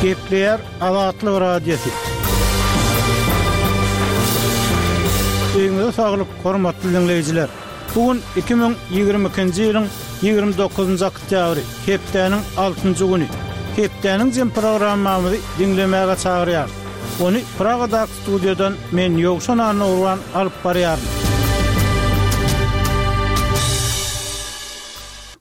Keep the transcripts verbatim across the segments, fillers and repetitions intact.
Gepleýär Azatlyk Radiosy. Öýüňize saglyk, hormatly diňleýjiler! Bu gün iki müň ýigrimi ikinji ýylyň ýigrimi dokuzynjy oktýabry, hepdäniň altynjy güni. Hepdäniň jem programmamyzy diňlemäge çagyrýarys. Ony Pragadaky studiýadan men Ýowşan Annagurban alyp barýaryn.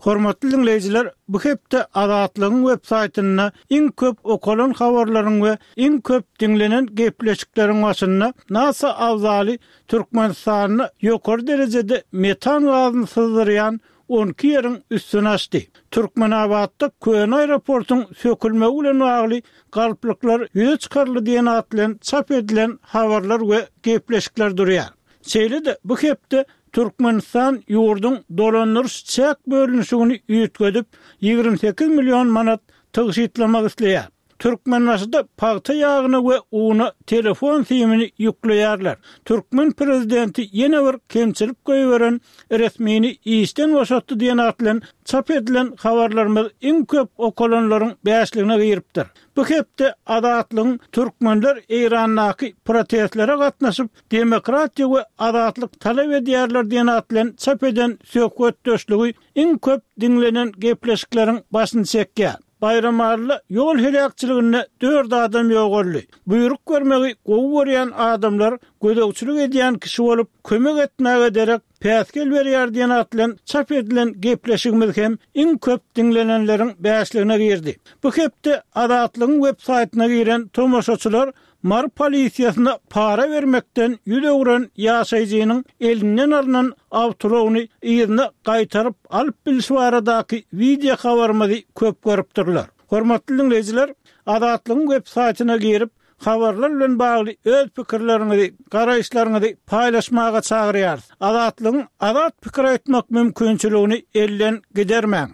Hormatly diňleýjiler, bu hepde Azatlygyň web saýtynda iň köp okalan habarlaryň we iň köp diňlenen gepleşikleriň başynda NASA abzaly Türkmenistanda ýokary derejede metan gazyny syzdyrýan on iki ýeriň üstüni açdy. Türkmenabatda köne aeroportuň sökülmegi bilen bagly galplyklar ýüze çykaryldy diýen at bilen çap edilen habarlar we gepleşikler durýar. Şeýle-de bu hepde Türkmenistan ýurduň dolandyryş çäk bölünişigini üýtgedip, ýigrimi sekiz million manat tygşytlamak isleýär. Türkmenbaşyda pagta ýagyna we una telefon simini ýükleýärler. Türkmen prezidenti ýene bir kemçilik goýberen resmini işden boşatdy diýen at bilen çap edilen habarlarymyz iň köp okalanlaryň bäşligine giripdir. Bu hepde Azatlygyň türkmenler Eýrandaky protestlere gatnaşyp, demokratiýa we azatlyk talap edýärler diýen at bilen çap eden söhbetdeşligi iň köp diňlenen gepleşikleriň başyny çekýär. Baýramalyda ýol heläkçiliginde dört adam ýogaldy. Buýruk bermegi gowy görýän adamlar gözegçilik edýän kişi bolup, kömek etmäge derek päsgel berýär diýen at bilen çap edilen gepleşigimiz hem iň köp diňlenenleriň bäşligine girdi. Bu hepde Azatlygyň web saýtyna giren tomaşaçylar Mary polisiýasyna para bermekden ýüz öwren ýaşaýjynyň elinden alnan awtoulagyny yzyna gaýtaryp alyp bilşi baradaky wideo habarymyzy köp görüpdirler. Hormatly diňleýjiler, Azatlygyň web saýtyna girip, habarlar bilen bagly öz pikirleriňizi, garaýyşlaryňyzy paýlaşmaga çagyrýarys. Azatlygyň azat pikir aýtmak mümkinçiligini elden gidermäň.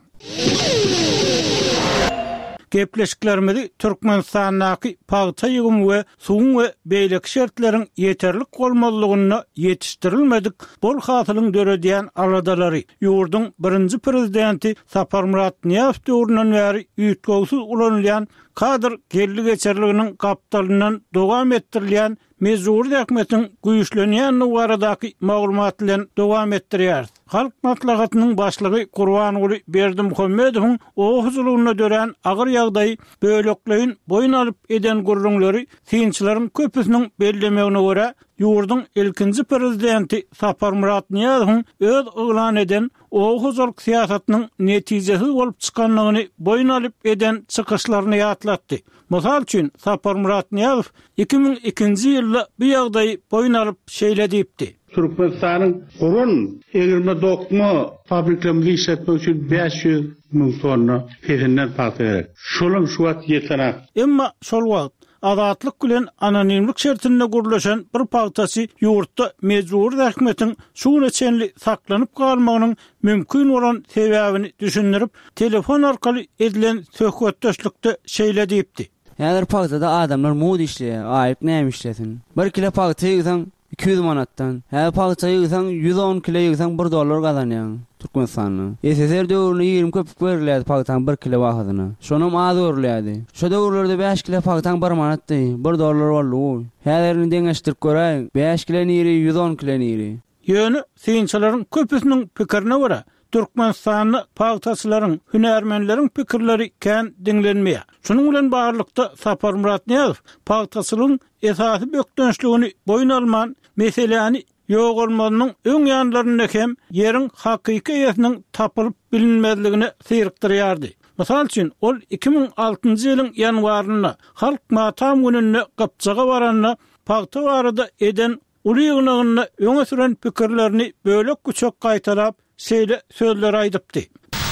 Gepleşiklerimizi Türkmenistandaky pagta ýygymy we suwuň we beýleki şertleriň ýeterlik bolmazlygynda ýetişdirilmedik bol hasylyň döredýän aladalary, ýurduň birinji prezidenti Saparmyrat Nyýazow döwründen bäri üýtgewsiz ulanylýan kadr geldi-geçerliginiň gapdalyndan dowam etdirilýän mejbury zähmetiň güýçlenýändigi baradaky maglumat bilen dowam etdirýäris. Halk Maslahatynyň başlygy Gurbanguly Berdimuhamedowyň oba hojalygynda dörän agyr ýagdaýy bölekleýin boýun alyp eden gürrüňleri synçylaryň köpüsiniň bellemegine görä, ýurduň ilkinji prezidenti Saparmyrat Nyýazowyň öz yglan eden oba hojalyk syýasatynyň netijesiz bolup çykandygyny boýun alyp eden çykyşlaryny ýatlatdy. Mysal üçin, Saparmyrat Nyýazow iki müň ikinji ýylda bu ýagdaýy boýun alyp şeýle diýipdi. Türkmenistanyň guran egirme dokma fabriklerimizi işletmek üçin bäş ýüz müň tonna pesinden pagta gerek. Şolam şu wagt ýetenak. Emma şol wagt Azatlyk bilen anonimlik şertinde gürleşen bir pagtaçy ýurtda mejbury zähmetiň şu güne çenli saklanyp galmagynyň mümkin bolan sebäbini düşündirip, telefon arkaly edilen söhbetdeşlikde şeýle diýipdi. Häzir pagtada adamlar muz işleýär, aýyk näme işlesin? Bir kilo pagta ýygsaň iki ýüz manatdan. Häzir pagta ýygsaň ýüz on kilo ýygsaň bir dollar gazanýaň Türkmenistanda. S S R döwründe ýigrimi köpük berilýärdi pagtaň bir kilo bahasyna. Şonam az görülýärdi. Şo döwürlerde bäş kilo pagtaň bir manatdy, bir dollar boldy bu. Häzir indi deňeşdirip göräýiň, bäş kilo niri, ýüz on kilo niri. Ýöne synçylaryň köpüsiniň pikirine görä, Türkmenistanda pagtaçylaryň, hünärmenleriň pikirleri kän diňlenmeýär. Şunuň bilen baglylykda Saparmyrat Nyýazow pagtaçylygyň esasy bökdençligini boýun alman, meseläni ýogalmazynyň öň ýanlarynda hem ýeriň hakyky eýesiniň tapylyp bilinmezligine syrykdyrýardy. Mysal üçin, ol iki müň altynjy ýylyň ýanwarynda Halk matam gününde Gypjaga baranda pagta barada eden uly ýygnagynda öňe süren pikirlerini bölek-küçek gaýtalap, şeýle sözleri aýdypdy.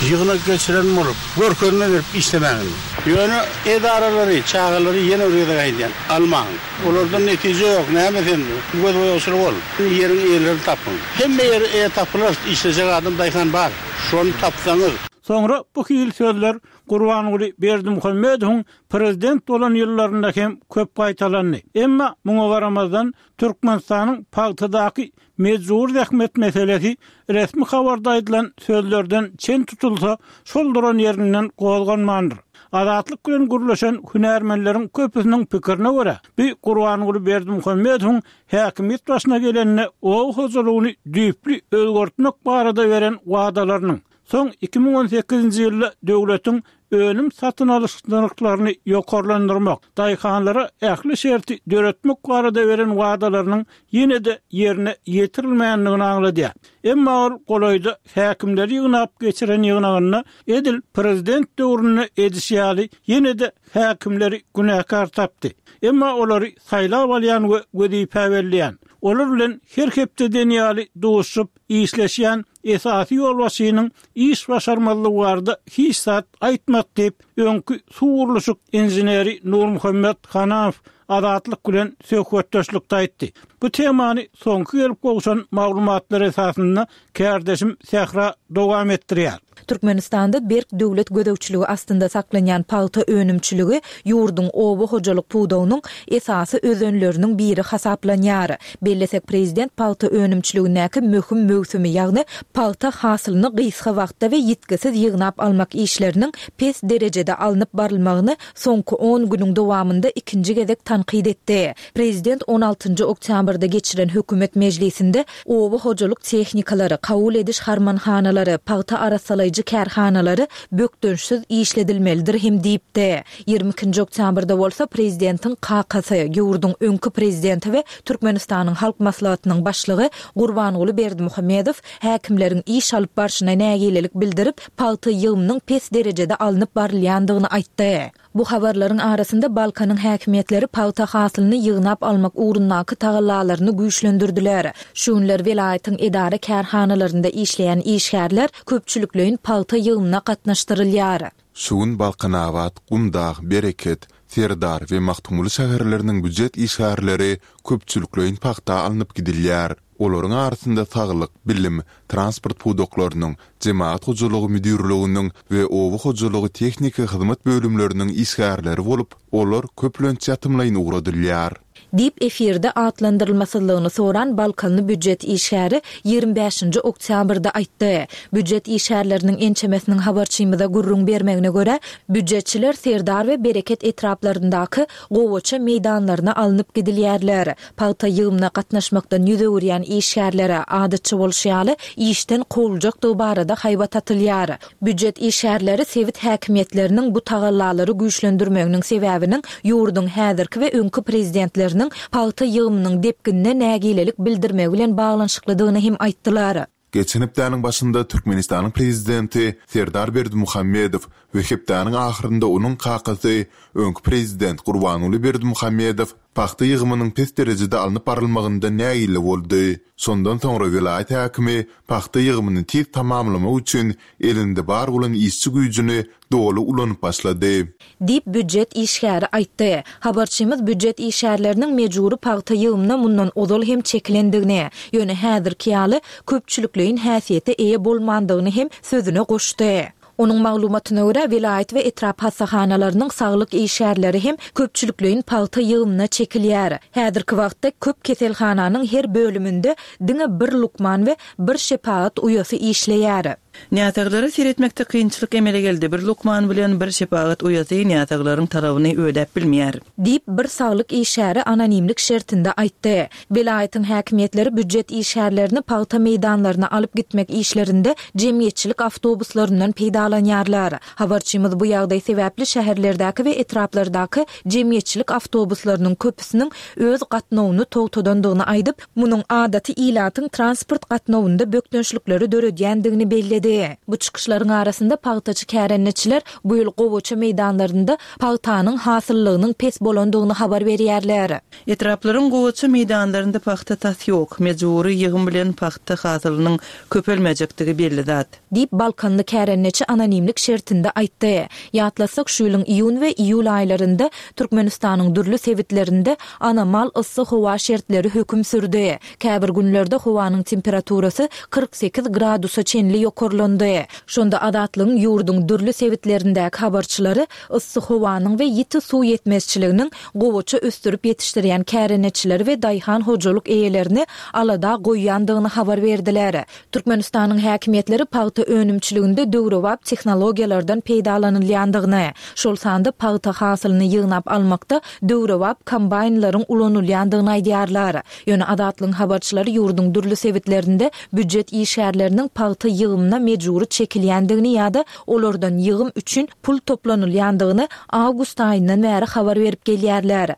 Ýygnak geçiren bolup, görkezme berip işlemäň. Ýöne edaralary, çagalary ýene bir gezek aýdýan, almaň. Olardan netije ýok, näme sen göz boýagçyly bol. Ýeriň eýelerini tapyň. Hemme ýeri eýe tapylar, işlejek adam daýhan bar. Şony tapsaňyz. Soňra bu hili sözler Gurbanguly Berdimuhamedowyň prezident bolan ýyllarynda hem köp gaýtalandy. Emma muňa garamazdan Türkmenistanyň pagtadaky mejbury zähmet meselesi resmi habarda aýdylan sözlerden çen tutulsa, şol duran ýerinden gozganmandyr. Azatlyk bilen gürleşen hünärmenleriň köpüsiniň pikirine görä, bu Gurbanguly Berdimuhamedowyň häkimiýet başyna geleninde oba hojalygyny düýpli özgertmek barada beren wadalarynyň, soň iki müň on sekizinji ýylda döwletiň önüm satyn alyş nyrhlaryny ýokarlandyrmak, daýhanlara ähli şerti döretmek barada beren wadalarynyň ýene-de ýerine ýetirilmändigini aňladýar. Emma ol golaýda häkimleri ýygnap geçiren ýygnagynda edil prezident döwründe edişi ýaly ýene-de häkimleri günäkär tapdy. Emma olary saýlap alýan we wezipe belleýän, olar bilen her hepdeden ýaly duşup işleşýän esasy ýolbaşçynyň iş başarmazlygy barada hiç zat aýtmady diýip, öňki suw gurluşyk inženeri Nurmuhammet Hanamow Azatlyk bilen söhbetdeşlikde aýtdy. Bu temany soňky gelip gowşan maglumatlar esasynda kärdeşim Sähra dowam etdirýär. Türkmenistanda berk döwlet gözegçiligi astynda saklanýan pagta önümçiligi ýurduň oba hojalyk pudagynyň esasy özenleriniň biri hasaplanýar. Bellesek prezident pagta önümçiligindäki möhüm möwsümi, ýagny pagta hasylyny gysga wagtda we ýitgisiz ýygnap almak işleriniň pes derejede alnyp barylmagyny soňky on günüň dowamynda ikinji gezek tankyt etdi. Prezident on altynjy oktýabrda geçiren hökümet mejlisinde oba hojalyk tehnikalary, kabul ediş harmanhanalary, pagta arassalaýjy kärhanalary bökdençsiz işledilmelidir hem diýipdi. Ýigrimi ikinji oktýabrda bolsa prezidentiň kakasy, ýurduň öňki prezidenti we Türkmenistanyň Halk Maslahatynyň başlygy Gurbanguly Berdimuhamedow häkimleriň iş alyp barşyna nägilelik bildirip, pagta ýygymynyň pes derejede alnyp barylýandygyny aýtdy. Bu habarlaryň arasynda Balkanyň häkimiýetleri pagta hasylyny ýygnap almak ugrundaky tagallalaryny güýçlendirdiler. Şu günler welaýatyň edara kärhanalarynda işleýän işgärler köpçülikleýin pagta ýygymyna gatnaşdyrylýar. Şu gün Balkanabat, Gumdag, Bereket, Serdar we Magtymguly şäherleriniň býujet işgärleri köpçülikleýin pagta alnyp gidilýär. Olaryň arasynda saglyk, bilim, transport pudaklarynyň, jemagat hojalygy müdirliginiň we oba hojalygy tehniki hyzmat bölümleriniň işgärleri bolup, olar köplenç ýatymlaýyn ugradylýar. Diýip efirde atlandyrylmasyzlygyny soran Balkanly býujet işgäri ýigrimi bäşinji oktýabrda aýtdy. Býujet işgärleriniň ençemesiniň habarçymyza gürrüň bermegine görä, býujetçiler Serdar we Bereket etraplaryndaky gowaça meýdanlaryna alnyp gidilýärler. Pagta ýygymyna gatnaşmakdan ýüz öwürýän işgärlere adatça bolşy ýaly işden kowuljakdygy barada haýbat atylýar. Býujet işgärleri sebit häkimiýetleriniň bu tagallalary güýçlendirmeginiň sebäbiniň ýurduň häzirki we öňki prezidentleriniň pagta ýygymynyň depginine nägilelik bildirmegi bilen baglanyşyklydygyny hem aýtdylar. Geçen hepdäniň başynda Türkmenistanyň prezidenti Serdar Berdimuhamedow we hepdäniň ahyrynda onuň kakasy öňki prezident Gurbanguly Berdimuhamedow pagta ýygymynyň pes derejede alnyp barylmagyndan nägile boldy. Şondan soňra welaýat häkimi pagta ýygymyny tiz tamamlamak üçin elinde bar bolan işçi güýjüni doly ulanyp başlady. Diýip býujet işgäri aýtdy. Habarçymyz býujet işgärleriniň mejbury pagta ýygymyna mundan ozal hem çekilendigini, ýöne häzirki ýaly köpçülikleýin häsiýete eýe bolmandygyny hem sözüne goşdy. Onuň maglumatyna görä, welaýat we etrap hassahanalarynyň saglyk işgärleri hem köpçülikleýin pagta ýygymyna çekilýär. Häzirki wagtda köp keselhananyň her bölüminde diňe bir lukman we bir şepagat uýasy işleýär. Näsaglara seyretmekde kynçylyk emele geldi. Bir lukman bilen bir şepagat uýasy näsaglaryň talabyny ödäp bilmeýär. Diýip bir saglyk işgäri anonimlik şertinde aýtdy. Welaýatyň häkimiýetleri býujet işgärlerini pagta meýdanlaryna alyp gitmek işlerinde jemgyýetçilik awtobuslaryndan peýdalanýarlar. Habarçymyz bu ýagdaý sebäpli şäherlerdäki we etraplardaky jemgyýetçilik awtobuslarynyň köpüsiniň öz gatnawyny togtadandygyny aýdyp, munuň adaty ilatyň transport gatnawynda bökdençlikleri döredýändigini belledi. Bu çykyşlaryň arasynda pagtaçy kärendeçiler bu ýyl gowaça meýdanlarynda pagtanyň hasyllygynyň pes bolandygyny habar berýärler. Etraplaryň gowaça meýdanlarynda pagta tas ýok. Mejbury ýygym bilen pagta hasylynyň köpelmejekdigi belli zat. Diýip Balkanly kärendeçi anonimlik şertinde aýtdy. Ýatlasak şu ýylyň iýun we iýul aýlarynda Türkmenistanyň dürli sebitlerinde anomal yssy howa şertleri höküm sürdi. Käbir günlerde howanyň temperaturasy kyrk sekiz gradusa çenli ýokarlandy. ýokarlandy. Şonda Azatlygyň ýurduň dürli sebitlerindäki habarçylary yssy howanyň we ýiti suw ýetmezçiliginiň gowaça ösdürip ýetişdirýän kärendeçileri we daýhan hojalyk eýelerini alada goýýandygyny habar berdiler. Türkmenistanyň häkimiýetleri pagta önümçiliginde döwrebap tehnologiýalardan peýdalanylýandygyny, şol sanda pagta hasylyny ýygnap almakda döwrebap kombaýnlaryň ulanylýandygyny aýdýarlar. Ýöne Azatlygyň habarçylary ýurduň dürli sebitlerinde býujet işgärleriniň pagta ýygymyna mejbury çekilýändigini ýa-da olardan ýygym üçin pul toplanylýandygyny awgust aýyndan bäri habar berip gelýärler.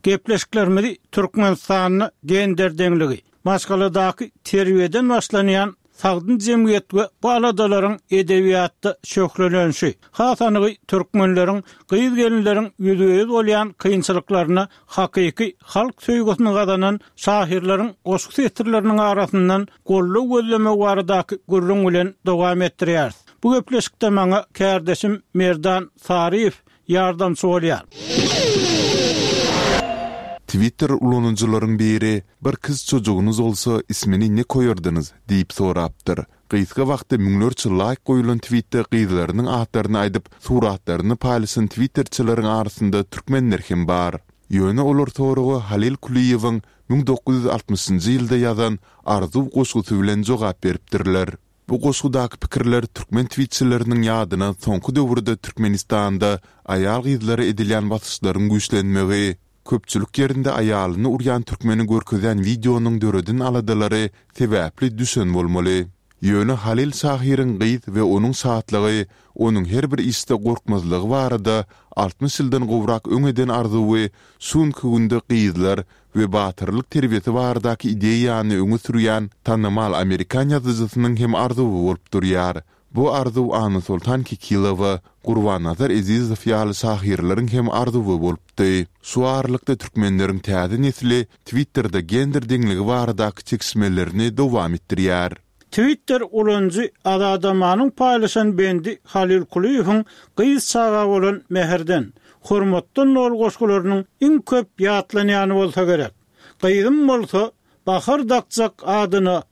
Gepleşiklerimizi Türkmenistanda gender deňligi, maşgaladaky terbiýeden başlanýan sagdyn jemgyýet we bu aladalaryň edebiýatda şöhlelenişi, has anygy türkmenleriň gyz-gelinleriň ýüzbe-ýüz bolýan kynçylyklaryna hakyky halk söýgüsini gazanan şahyrlaryň goşgy setirleriniň arasyndan goldaw gözlemek baradaky gürrüň bilen dowam etdirýäris. Bu gepleşikde maňa kärdeşim Merdan Saryýew ýardamçy bolýar. Twitter ulanyjylaryň biri "Bir kız çocuğunuz olsa ismini ne koyardınız?" diýip sorapdyr. Gysga wagtda müňlerçe laýk goýulan tweetde gyzlarynyň atlaryny aýdyp, suratlaryny paýlaşan twitterçileriň arasynda türkmenler hem bar. Ýöne olar soraga Halil Kulyýewiň müň dokuz ýüz altmyşynjy ýylda ýazan Arzuw goşgusy bilen jogap beripdirler. Bu goşgudaky pikirler türkmen tweetçileriniň ýadyna soňky döwürde Türkmenistanda aýal-gyzlara edilýän basyşlaryň güýçlenmegi, köpçülik ýerinde aýalyny urýan türkmeni görkezýän wideonyň döreden aladalary sebäpli düşen bolmaly. Ýöne Halil şahyryň gyz we onuň şatlygy, onuň her bir işde gorkmazlygy barada altmyş ýyldan gowrak öň eden arzuwy şu günki günde gyzlar we batyrlyk terbiýesi baradaky ideýany öňe sürýän tanymal amerikan ýazyjysynyň hem arzuwy bolup durýar. Bu arzuw Annasoltan Kekilowa, Gurbannazar Ezizow ýaly şahyrlaryň hem arzuwy bolupdy. Şu aralykda türkmenleriň täze nesli Twitterde gender deňligi baradaky çekişmelerini dowam etdirýär. Twitter ulanyjy Azadamanyň paýlaşan bendi Halil Kulyýewiň gyz çaga bolan mähirden, hormatdan doly goşgularynyň iň köp ýatlanýany bolsa gerek. Gyzym bolsa bahar dakjak adyna,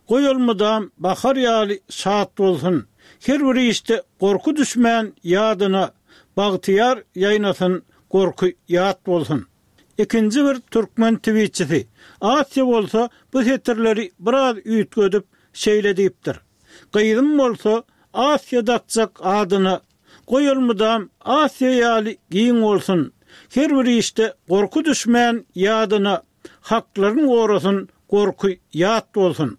goýulmydam bahar ýaly şat bolsun. Her bir işde gorky düşmän ýadyna, bagtyýar ýaýnasyn, gorky ýat bolsun. Ikinji bir türkmen tweetçisi Asiýa bolsa bu setirleri biraz üýtgedip şeýle diýipdir. Gyzym bolsa Asiýa dakjak adyna, goýulmydam Asiýa ýaly giň bolsun. Her bir işde gorky düşmän ýadyna, haklaryň gorasyn, gorky ýat bolsun.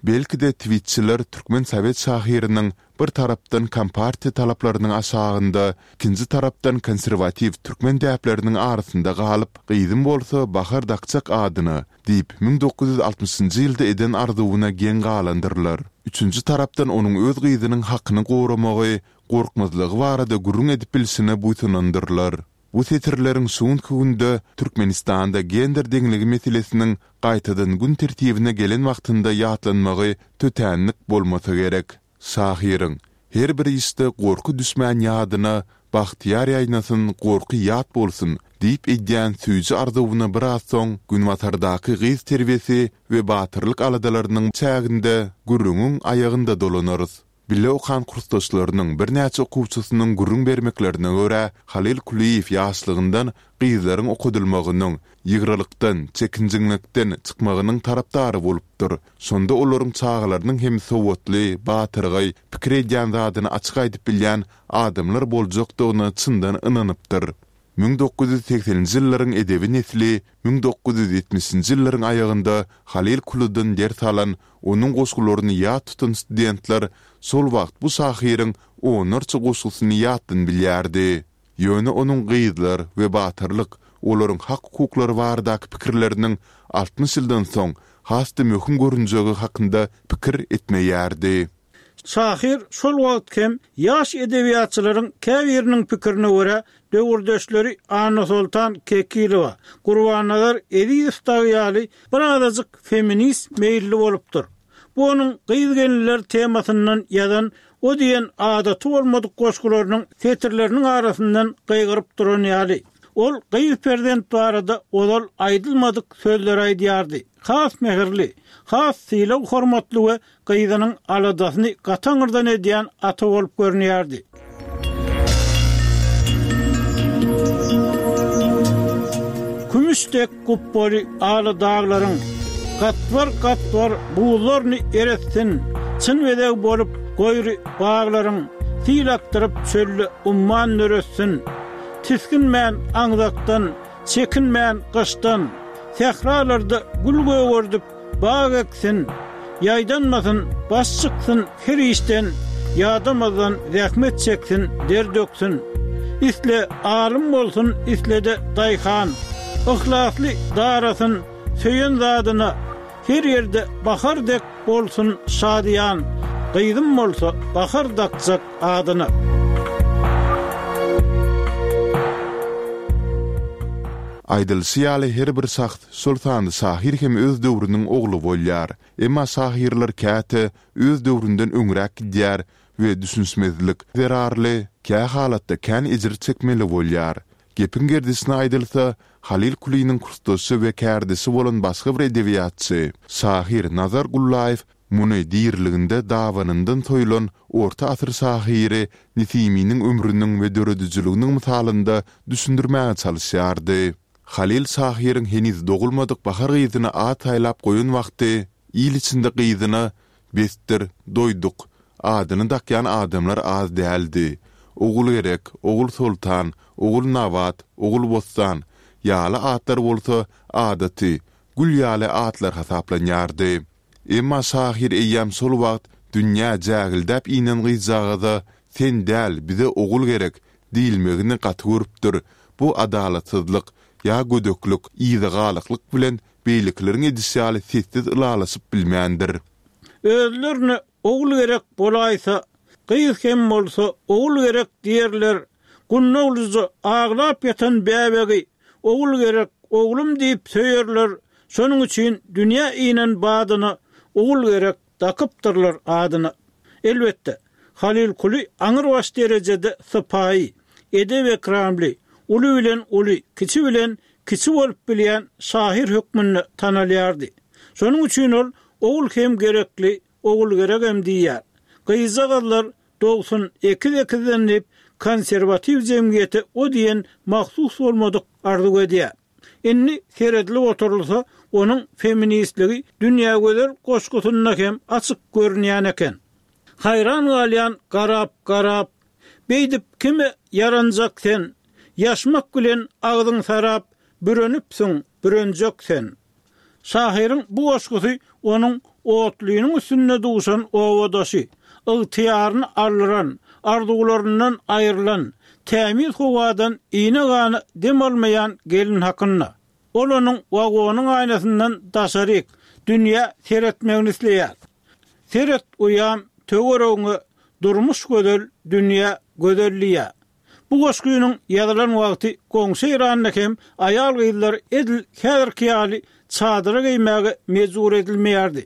Belki-de tweetçiler türkmen sovet şahyrynyň bir tarapdan kompartiýa talaplarynyň aşagynda, ikinji tarapdan konserwatiw türkmen däpleriniň arasynda galyp, gyzym bolsa bahar dakjak adyna diýip müň dokuz ýüz altmyşynjy ýylda eden arzuwyna geň galandyrlar. Üçünji tarapdan onuň öz gyzynyň hakyny goramagy, gorkmazlygy barada gürrüň edip bilşine buýsanandyrlar. Bu setirleriň şu günki günde Türkmenistanda gender deňligi meselesiniň gaýtadan gün tertibine gelen wagtynda ýatlanmagy tötänlik bolmasa gerek. Şahyryň her bir işde gorky düşmän ýadyna, bagtyýar ýaýnasyn, gorky ýat bolsun diýip edýän süýji arzuwyna biraz soň günbatardaky gyz terbiýesi we batyrlyk aladalarynyň çäginde gürrüňiň aýagynda dolanarys. Bile okan kursdaşlarynyň birnäçe okuwçysynyň gürrüň bermeklerine görä, Halil Kulyýew ýaşlygyndan gyzlaryň okadylmagynyň, ýygralykdan, çekinjeňlikden çykmagynyň tarapdary bolupdyr. Şonda olaryň çagalarynyň hem sowatly, batyrgaý, pikir edýän zadyny açyk aýdyp bilýän adamlar boljakdygyna çyndan ynanypdyr. Müň dokuz ýüz sekseninji ýyllaryň edebi nesli müň dokuz ýüz ýetmişinji ýyllaryň aýagynda Halil Kulydan ders alan, onuň goşgularyny ýat tutan studentler şol wagt bu şahyryň onlarça goşgusyny ýatdan bilýärdi. Ýöne onuň gyzlar we batyrlyk, olaryň hak hukuklary baradaky pikirleriniň altmyş ýyldan soň has-da möhüm görünjegi hakynda pikir etmeýärdi. Şahyr şol wagt hem ýaş edebiýatçylaryň käbiriniň pikirine görä döwürdeşleri Annasoltan Kekilowa, Gurbannazar Ezizow dagy ýaly bir azajyk feminist meýilli bolupdyr. Bu onuň gyz-gelinler temasyndan ýazan o diýen adaty bolmadyk goşgularynyň setirleriniň arasyndan gygyryp duran ýaly. Ol gyz perzent barada ozal aýdylmadyk sözler aýdýardy. Has mähirli, has sylag hormatly we gyzynyň aladasyny gataňyrdan edýän ata bolup görünýärdi. Kümüş dek gupboly ala daglaryň gatbar-gatbar buzlaryny eretsin, çyn bezeg bolup goýry baglaryň sil akdyryp çölde umman döretsin. Tisginmän aňzakdan, çekinmän gyşdan, sähralarda gül gögerdip bag eksin, ýaýdanmasyn, baş çyksyn her işden, ýadamazdan zähmet çeksin, der döksün. Isle alym bolsun, isle-de daýhan, yhlasly darasyn, söýen zadyna, her ýerde bahar dek bolsun şadyýan, gyzym bolsa bahar dakjak adyna. Aýdylyşy ýaly her bir şahs, şol sanda şahyr hem öz döwrüniň ogly bolýar. Emma şahyrlar käte öz döwründen öňräk gidýär we düşünişmezlik zerarly kä halatda kän ejir çekmeli bolýar. Gepiň gerdişine aýdylsa, Halyl Kulynyň kursdaşy we kärdeşi bolan başga bir edebiýatçy, şahyr Nazar Gullaýew muny diriliginde dabanyndan soýlan orta asyr şahyry Nesiminiň ömrüniň we döredijiliginiň mysalynda düşündirmäge çalyşýardy. Halyl şahyryň heniz dogulmadyk bahar gyzyna at saýlap goýan wagty il içinde gyzyna Besdir, doýduk adyny dakýan adamlar az däldi. Ogulgerek, Ogulsoltan, Ogulnabat, Ogulbossan ýaly atlar bolsa adaty, gül ýaly atlar hasaplanýardy. Emma şahyr eýýäm şol wagt dünýä jägildäp inen gyzjagaza Sen däl, bize ogul gerek diýilmegini gaty görüpdir, bu adalatsyzlyk ýa gödeklik, yzagalaklyk bilen beýlekileriň edişi ýaly sessiz ylalaşyp bilmändir. Özlerine ogul gerek bolaýsa, gyz hem bolsa ogul gerek diýerler, gundaglyja aglap ýatan bäbegi ogul gerek, oglum diýip söýerler, şonuň üçin dünýä inen badyna ogul gerek dakypdyrlar adyna. Elbetde, Halyl Kuly aňrybaş derejede sypaýy, edep-ekramly, uly bilen uly, kiçi bilen kiçi bolup bilýän şahyr hökmünde tanalýardy. Şonuň üçin ol ogul hem gerekli, ogul geregem diýýär. Gyzjagazlar dogsun ekiz-ekizden diýip, konserwatiw jemgyýete o diýen mahsus bolmadyk arzuw edýär. Indi seredilip oturylsa, onuň feministligi Dünýägözel goşgusynda hem açyk görünýän eken. Haýran galýan garap-garap, beýdip kime ýaranjak sen, ýaşmak bilen agzyň sarap, bürenipsiň, bürenjek sen. Şahyryň bu goşgusy onuň otlynyň üstünde duşan obadaşy, ygtyýaryny aldyran, arzuwlaryndan aýrylan, tämiz howadan iýne-gana dem almaýan gelin hakynda. Ol onuň wagonyň aýnasyndan daşaryk, dünýä seretmegini isleýär. Seret uýam, töweregiňe, durmuş gözel, dünýä gözel diýýär. Bu goşgynyň ýazylan wagty goňşy Eýranda hem aýal-gyzlar edil häzirki ýaly çadyra geýmäge mejbur edilmeýärdi.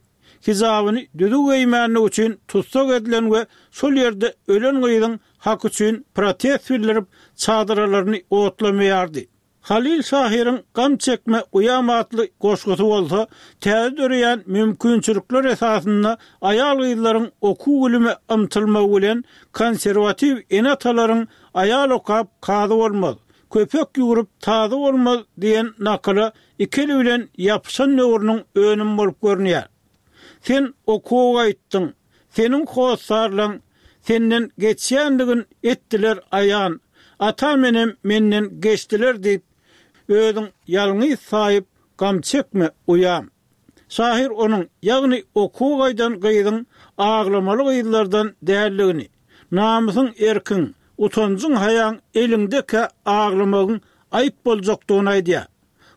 Hijabyny düzüw geýmänligi üçin tussag edilen we şol ýerde ölen gyzyň haky üçin protest bildirip çadyralaryny otlamaýardy. Halyl şahyryň Gam çekme uýam atly goşgusy bolsa, täze döreýän mümkinçilikler esasynda aýal-gyzlaryň okuw-bilime ymtylmagy bilen konserwatiw ene-atalaryň aýal okap kazy bolmaz, köpek ýüwrüp tazy bolmaz diýen nakyla iki eli bilen ýapyşan döwrüniň önümi bolup görünýär. Sen okuwa gaýtdyň, seniň hossarlaň senden geçýändigin etdiler aýan, atam-enem menden geçdiler diýip, özüň ýalňyz saýyp gam çekme, uýam. Şahyr onuň, ýagny okuwa gaýdan gyzyň aglamaly gyzlardan däldigini, namysyň erkiň, utanjyň-haýaň eliňdekä aglamagyň aýyp boljakdygyny aýdýar.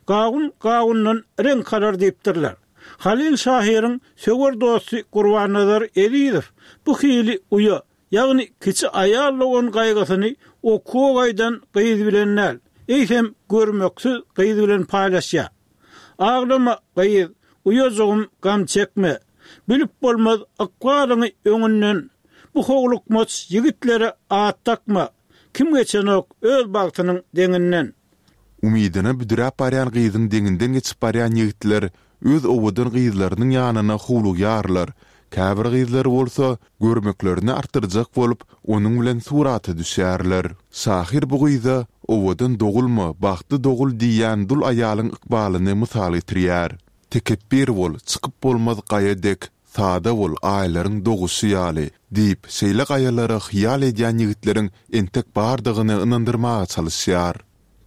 Gawun gawundan reňk alar diýipdirler. Halyl şahyryň söwer dosty Gurbannazar Ezizow bu hili uýa, ýagny kiçi aýal dogan gaýgysyny okuwa gaýdan gyz bilen däl, eýsem görmeksiz gyz bilen paýlaşýar. Aglama, gyz, uýajygym gam çekme. Bilip bolmaz ykbalyňy öňünden. Bu howlukmaç ýigitlere at dakma. Kim geçenok öz bagtynyň deňinden. Umydyna büdräp barýan gyzyň deňinden geçip barýan ýigitler öz owadan gyzlarynyň ýanyna howlugýarlar, käbir gyzlar bolsa görmeklerini artdyrjak bolup, onuň bilen surata düşýärler. Şahyr bu gyza Owadan dogulma, bagtly dogul diýýän dul aýalyň ykbalyny mysal getirýär. Tekepbir bol, çykyp bolmaz gaýa dek, sada bol, aýlaryň doguşy ýaly diýip, şeýle gaýalara hyýal edýän ýigitleriň entek bardygyny ynandyrmaga çalyşýar.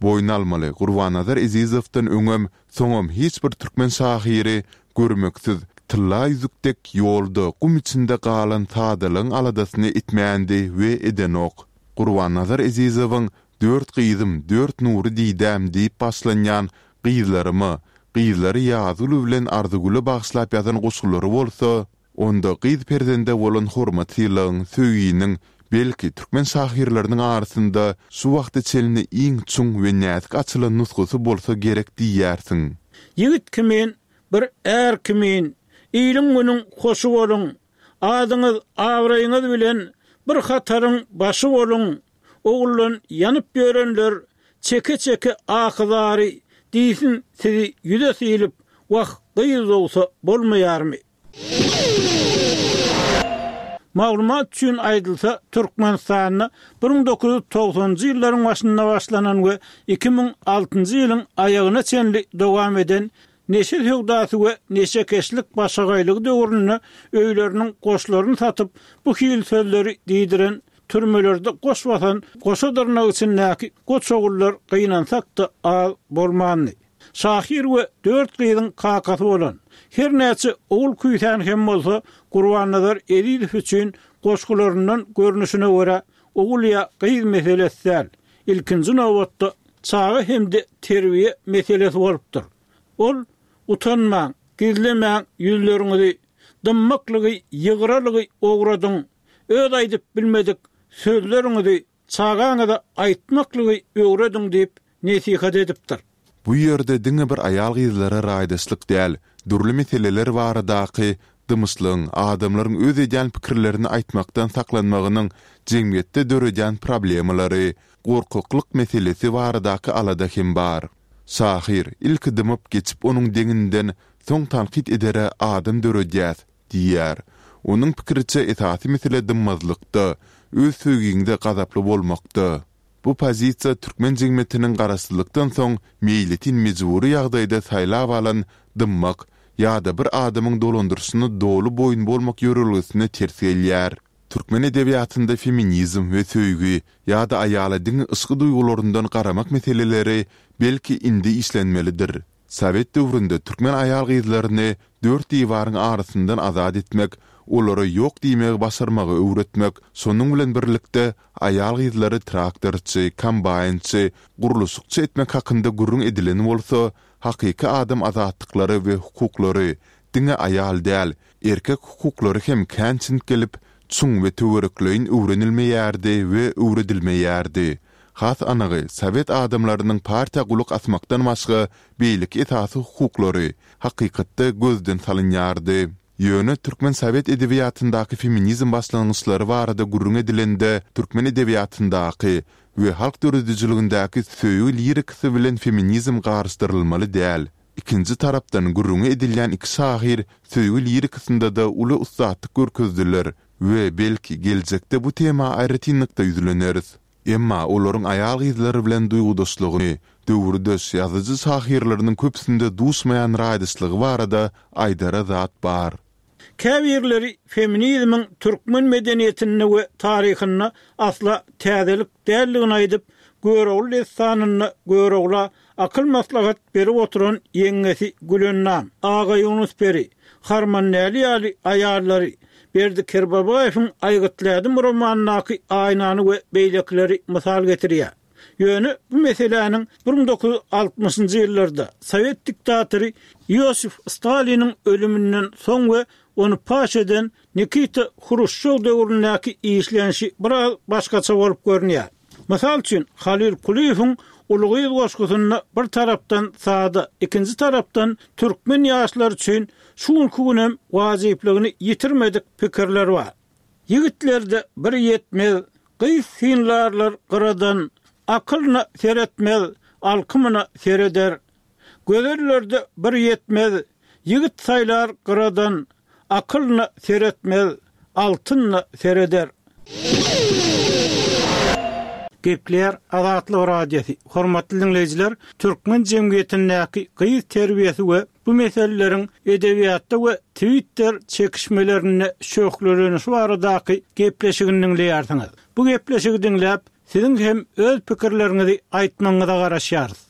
Boýun almaly, Gurbannazar Ezizowdan öňem, soňam hiç bir türkmen şahyry görmeksiz, tylla ýüzük dek ýolda, gum içinde galan sadalygyň aladasyny etmändi we edenok. Gurbannazar Ezizowyň Dört gyzym, dört nury didäm diýip başlanýan Gyzlaryma, gyzlary Ýazgül bilen Arzygüle bagyşlap ýazan goşgulary bolsa, onda gyz perzende bolan hormat-sylagyň, söýginiň, belki, türkmen şahyrlarynyň arasynda şu wagta çenli iň çuň we näzik açylan nusgasy bolsa gerek diýersiň. Ýigit kimin, bir är kimin, iliň-günüň hoşy boluň, adyňyz, abraýyňyz bilen bir hataryň başy boluň, Oguldan ýanyp ýörenler çeke-çeke ahy-zary diýsin sizi ýüze sylyp, wah, gyz dogsa bolmaýarmy? Maglumat üçin aýdylsa, Türkmenistanda bir müň dokuz ýüz togsanynjy ýyllaryň başynda başlanan we iki müň altynjy ýylyň aýagyna çenli dowam eden neşe söwdasy we neşekeşlik başagaýlygy döwründe öýleriniň goşlaryny satyp, bu hili sözleri diýdiren Türmelerde goş basan goşa dyrnak içindäki goç ogullar gynansak-da az bolmandy. Şahyr we dört gyzyň kakasy bolan, her näçe ogul küýsän hem bolsa, Gurbannazar Ezizow üçin goşgularyndan görnüşine görä, ogul ýa gyz meselesi däl, ilkinji nobatda çaga hem-de terbiýe meselesi bolupdyr. Ol, Utanmaň, gizlemäň ýüzleriňizi, dymmaklygy, ýygralygy ogradyň, Öz aýdyp bilmedik sözleriňizi çagaňyza aýtmaklygy öwrediň diýip nesihat edipdir. Bu ýerde diňe bir aýal-gyzlara raýdaşlyk däl, dürli meseleler baradaky dymyşlygyň, adamlaryň öz edýän pikirlerini aýtmakdan saklanmagynyň jemgyýetde döredýän problemalary, gorkaklyk meselesi baradaky alada hem bar. Şahyr, ilki dymyp geçip onuň deňinden, soň tankyt edere adam döredýäs, Diýýär. Onuň pikiriçe, esasy mesele dymmazlykda, öz söýgiňde gazaply bolmakda. Bu pozisiýa türkmen jemgyýetiniň garaşsyzlykdan soň meýletin mejbury ýagdaýda saýlap alan dymmak ýa-da bir adamyň dolandyryşyna doly boýun bolmak ýörelgesine ters gelýär. Türkmen edebiýatynda feminizm we söýgi ýa-da aýala diňe yşky duýgularyndan garamak meseleleri belki indi işlenmelidir. Sowet döwründe türkmen aýal-gyzlaryny dört diwaryň arasyndan azat etmek, olara ýok diýmegi başarmagy öwretmek, şonuň bilen birlikde aýal-gyzlary traktorçy, kombaýnçy, gurluşykçy etmek hakynda gürrüň edilen bolsa, hakyky adam azatlyklary we hukuklary, diňe aýal däl, erkek hukuklary hem kän çintgelip, çuň we töwerekleýin öwrenilmeýärdi we öwredilmeýärdi. Has anygy, sowet adamlarynyň partiýa gulak asmakdan başga beýleki esasy hukuklary, hakykatda gözden salynýardy. Ýöne türkmen sowet edebiýatyndaky feminizm başlangyçlary barada gürrüň edilende türkmen edebiýatyndaky we halk döredijiligindäki söýgi lirikasy bilen feminizm garyşdyrylmaly däl. Ikinji tarapdan gürrüňi edilýän iki şahyr söýgi lirikasynda-da uly ussatlyk görkezdiler we belki geljekde bu tema aýratynlykda ýüzleneris. Emma olaryň aýal-gyzlar bilen duýgudaşlygyny, döwürdeş ýazyjy-şahyrlarynyň köpüsinde duşmaýan raýdaşlygy barada aýdara zat bar. Käbirleri feminizmiň türkmen medeniýetinde we taryhynda asla täzelik däldigini aýdyp, Görogly dessanynda Görogla akyl-maslahat berip oturan ýeňňesi Gülennam, Agaýunus peri, Harmandäli ýaly aýallary, Berdi Kerbabaýewiň Aýgytly ädim romanyndaky Aýnany we beýlekileri mysal getirýär. Ýöne bu meseläniň bir müň dokuz ýüz altmyşynjy ýyllarda sowet diktatory Iosif Staliniň ölüminden soň we ony paş eden Nikita Hruşçow döwründäki işlenişi biraz başgaça bolup görünýär. Mysal üçin, Halyl Kulyýewiň Uly gyz goşgusynda bir tarapdan sada, ikinji tarapdan türkmen ýaşlary üçin şu günki günem wajyplygyny ýitirmedik pikirler bar. Ýigitlerde bir ýetmez, gyz synlarlar gyradan, Akylyna seretmez, alkymyna sereder. Gözellerde bir ýetmez, ýigit saýlar gyradan, akylyna seretmez, altynyna sereder. Gepleýär Azatlyk Radiosy. Hormatly diňleýjiler, türkmen jemgyýetindäki gyz terbiýesi we bu meseleleriň edebiýatda we Twitter çekişmelerinde şöhlelenişi baradaky gepleşigini diňleýärsiňiz. Bu gepleşigi diňläp, siziň hem öz pikirleriňizi aýtmagyňyza garaşýarys.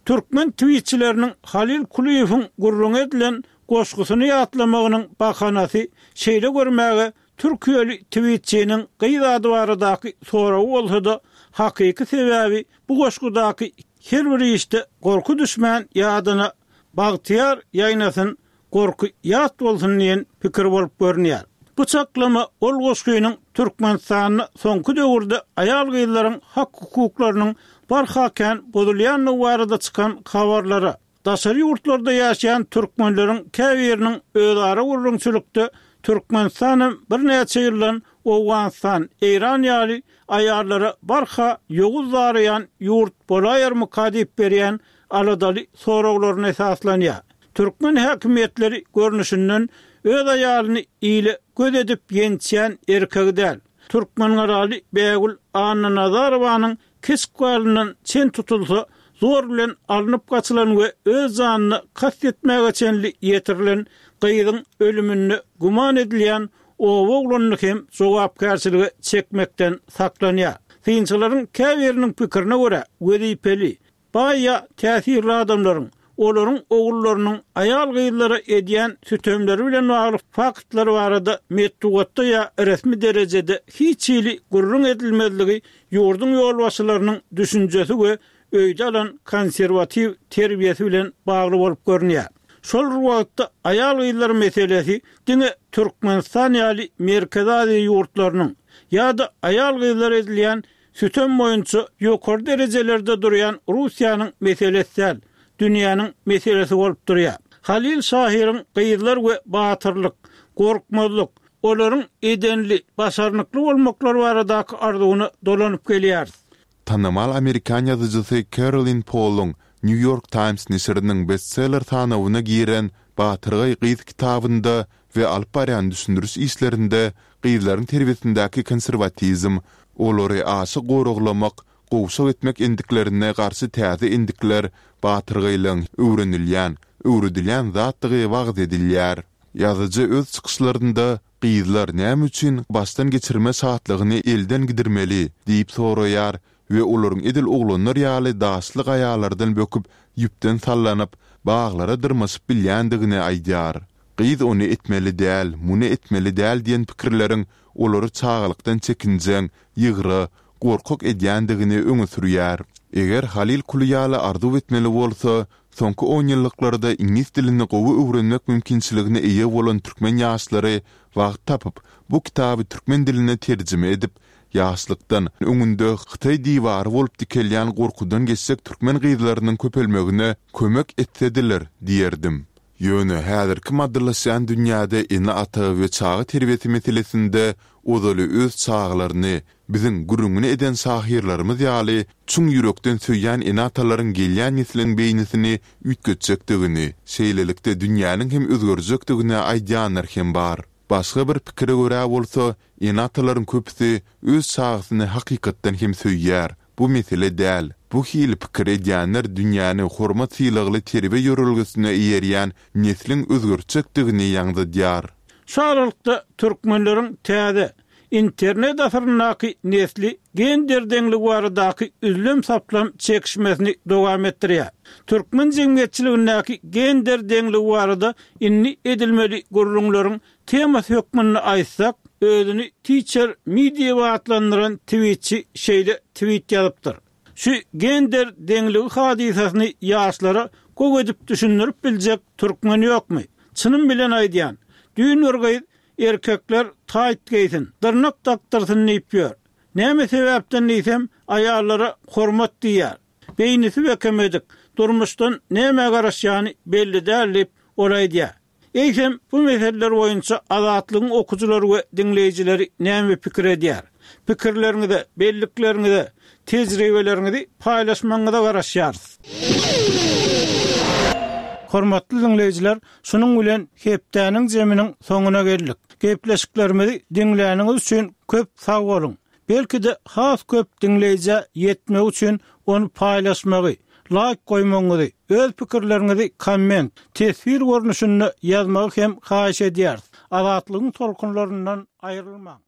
Türkmen tweetçileriniň Halil Kulyýewiň gürrüňi edilen goşgusyny ýatlamagynyň bahanasy şeýle görmäge Türkiýeli tweetçiniň gyz ady baradaky soragy bolsa-da, hakyky sebäbi bu goşgudaky her bir işde gorky düşmän ýadyna Bagtyýar ýaýnasyn, gorky ýat bolsun diýen pikir bolup görünýär. Bu çaklama ol goşgynyň Türkmenistanda soňky döwürde aýal-gyzlaryň hak-hukuklarynyň barha kän bozulýandygy barada çykan habarlara, daşary ýurtlarda ýaşaýan türkmenleriň käbiriniň özara gürrüňçilikde Türkmenistanam birnäçe ýyldan Owganystan, Eýran ýaly aýallara barha ýowuz daraýan ýurt bolaýarmyka diýip berýän aladaly soraglaryna esaslanýar. Türkmen häkimiýetleri görnüşinden öz aýalyny ile göz edip ýençýän erkegi däl. Türkmengalaly Bägül Annanazarowanyň kesik galyndan çen tutulsa, zor bilen alnyp gaçylan we öz janyna kast etmäge çenli ýetirilen gyzyň ölüminde güman edilýän oba oglanyny hem jogapkärçilige çekmekden saklanýar. Synçylaryň käbiriniň pikirine görä, wezipeli, baý ýa täsirli adamlaryň, olaryň ogullarynyň aýal-gyzlara edýän sütemleri bilen bagly faktlar barada metbugatda ýa resmi derejede hiç hili gürrüň edilmezligi ýurduň ýolbaşçylarynyň düşünjesi we öýde alan konserwatiw terbiýesi bilen bagly bolup görünýär. Şol bir wagtda aýal-gyzlar meselesi diňe Türkmenistan ýaly Merkezi Aziýa ýurtlarynyň ýa-da aýal-gyzlara edilýän sütem boýunça ýokary derejelerde durýan Russiýanyň meselesi däl, dünýäniň meselesi bolup durýar. Halil şahyryň gyzlar we batyrlyk, gorkmazlyk, olaryň edenli, başarnykly bolmaklary baradaky arzuwyna dolanyp gelýäris. Tanymal amerikan ýazyjysy Kerolin Poluň New York Times neşiriniň bestseller sanawyna giren Batyrgaý gyz kitabynda we alyp barýan düşündiriş işlerinde gyzlaryň terbiýesindäki konserwatizm, olary aşa goraglamak, gowşak etmek endiklerine garşy täze endikler, batyrgaýlygyň öwrenilýän, öwredilýän zatdygy wagyz edilýär. Ýazyjy öz çykyşlarynda Gyzlar näme üçin başdan geçirme şatlygyny elden gidirmeli? diýip soraýar we olaryň edil oglanlar ýaly daşly gaýalardan böküp, ýüpden sallanyp, baglara dyrmaşyp bilýändigini aýdýar. Gyz ony etmeli däl, muny etmeli däl diýen pikirleriň olary çagalykdan çekinjeň, ýygra, gorkak edýändigini öňe sürýär. Eger Halyl Kuly ýaly arzuw etmeli bolsa, soňky onýyllyklarda iňlis dilini gowy öwrenmek mümkinçiligine eýe bolan türkmen ýaşlary wagt tapyp, bu kitaby türkmen diline terjime edip, ýaşlykdan öňünde Hytaý diwary bolup dikelýän gorkudan geçjek türkmen gyzlarynyň köpelmegine kömek etsediler diýerdim. Ýöne häzirki maddylaşýan dünýäde ene-ata we çaga terbiýesi meselesinde ozaly öz çagalaryny biziň gürrüňini eden şahyrlarymyz ýaly çuň ýürekden söýýän ene-atalaryň gelýän nesliň beýnisini üýtgetjekdigini, şeýlelikde dünýäniň hem özgerjekdigini aýdýanlar hem bar. Başga bir pikire görä bolsa, ene-atalaryň köpüsi öz çagasyny hakykatdan hem söýýär. Bu mesele däl. Bu hili pikir edýänler dünýäni hormat-sylagly terbiýe ýörelgesine eýerýän nesliň özgertjekdigini ýaňzydýar. Şu aralykda türkmenleriň täze, internet asyryndaky nesli gender deňligi baradaky üzlem-saplam çekişmesini dowam etdirýär. Türkmen jemgyýetçiligindäki gender deňligi barada indi edilmeli gürrüňleriň temasy hökmünde aýtsak, özüni Teacher Me diýip atlandyran twitçi şeýle twit ýazypdyr, Şu gender deňligi hadysasyny ýaşlara gowy edip düşündirip biljek türkmen ýokmy? Çynym bilen aýdýan, düýn bir gyz erkekler taýt geýsin, dyrnak dakdyrsyn diýip ýör. Näme sebäpden diýsem, aýallara hormat diýýär. Beýnisi bekemedik, durmuşdan nämä garaşýany belli däl diýip, ol aýdýar. Eýsem, bu meseleler boýunça Azatlygyň okujylary we diňleýjileri näme pikir edýär? Pikirleriňizi, bellikleriňizi, tejribeleriňizi paýlaşmagyňyza garaşýarys. Hormatly dinleýjiler, şunuň bilen hepdäniň zeminiň soňuna geldik. Gepleşiklerimizi diňläniňiz üçin köp sag boluň. Belki-de has köp dinleýjä ýetmek üçin ony paýlaşmagy, laýk goýmagyňyzy, öz pikirleriňizi komment, teswir görnüşinde ýazmagy hem haýyş edýäris. Azatlygyň tolkunlaryndan aýrylmaň.